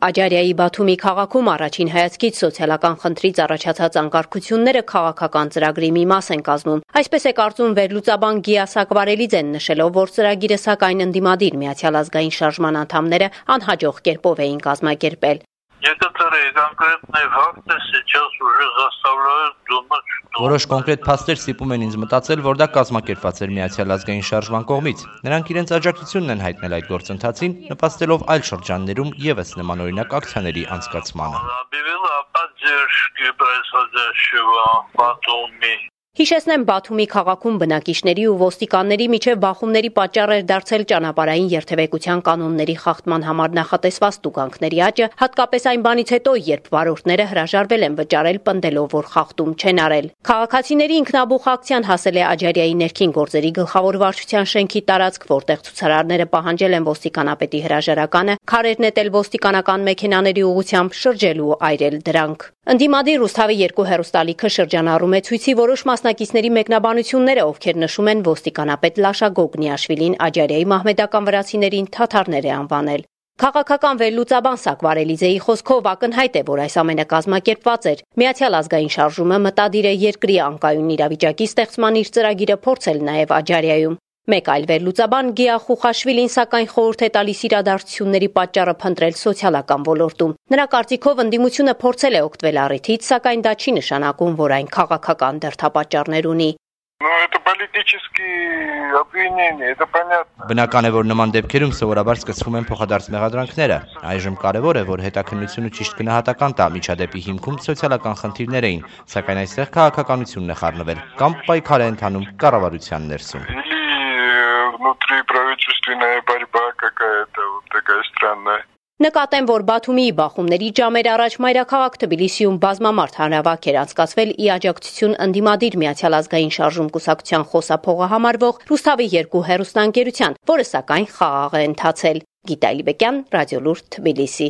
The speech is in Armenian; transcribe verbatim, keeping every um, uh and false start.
Աջարիայի Բաթումի քաղաքում առաջին հայացքից սոցիալական խնդրից առաջացած անկարգությունները քաղաքական ծրագրի մի մաս են կազմում։ Այսպես է կարծում վերլուծաբան Գիա Սակվարելիձեն, նշելով, որ ծրագիրը սակայն ընդդիմադիր Միացյալ ազգային շարժման անդամները անհաջող կերպով էին կազմակերպել։ Некоторые конкретные факты сейчас уже заставляют думать, что... Որոշ կոնկրետ փաստեր ստիպում են ինձ մտածել, որ դա կազմակերպված էր Միացյալ ազգային շարժման կողմից։ Նրանք իրենց աջակցությունն են հայտնել այդ գործընթացին, նպաստելով այլ շրջաններում ևս նմանօրինակ ակցիաների անցկացմանը։ Հիշեցնեմ, Բաթումի քաղաքում բնակիչների ու ոստիկանների միջև բախումների պատճառ էր դարձել ճանապարհային երթևեկության կանոնների խախտման համար նախատեսված տուգանքների աճը, հատկապես այն բանից հետո, երբ վարորդները հրաժարվել են վճարել, պնդելով, որ խախտում չեն արել։ Քաղաքացիների ինքնաբուխ ակցիան հասել է Աջարիայի ներքին գործերի գլխավոր վարչության շենքի տարածք, որտեղ ցուցարարները պահանջել են ոստիկանապետի հրաժարականը, քարեր նետել ոստիկանական մեքենաների ուղղությամբ, շրջելու այրել դրանք։ Ընդդիմադիր Ռուսթավի երկու հեռուստալիքը շրջանառում է ցույցի որոշ մասնակիցների մեկնաբանությունները, ովքեր նշում են ոստիկանապետ Լաշա Գոգնիաշվիլին Աջարիայի մահմեդական վրացիներին թաթարներ է անվանել։ Քաղաքական վերլուծաբան Սակվարելիձեի խոսքով ակնհայտ է, որ այս ամենը կազմակերպված էր։ Միացյալ ազգային շարժումը մտադիր է երկրի անկայուն իրավիճակի ստեղծման իր ծրագիրը փորձել նաև Աջարիայում։ Մեկ այլ վերլուծաբան Գիա Խուխաշվիլին սակայն խորհուրդ է տալիս իրադարձությունների պատճառը փնտրել սոցիալական ոլորտում։ Նրա կարծիքով ընդդիմությունը փորձել է օգտվել առիթից, սակայն դա չի նշանակում, որ այն քաղաքական դրդապատճառներ ունի։ Բնական է, որ նման դեպքերում սովորաբար սկսվում են փոխադարձ մեղադրանքները։ Այժմ կարևոր է, որ հետաքննությունը ճիշտ գնահատական տա միջադեպի հիմքում սոցիալական խնդիրներ էին, սակայն այստեղ քաղաքականությունն է խառնվել կամ պայքար է ընթանում կառավարության ներսում։ Внутриправительственная борьба какая-то вот такая странная. Նկատեմ, որ Բաթումի բախումների ժամեր առաջ մայրաքաղաք Թբիլիսիում բազմամարդ հանրավակ էր անցկացվել ի աջակցություն ընդդիմադիր Միացյալ ազգային շարժում կուսակցության խոսափողը համարվող Ռուսթավի երկու հեռուստաընկերության, որը սակայն խաղաղ է ընթացել։ Գիտա Իլբեկյան, Ռադիոլուրդ, Թբիլիսի։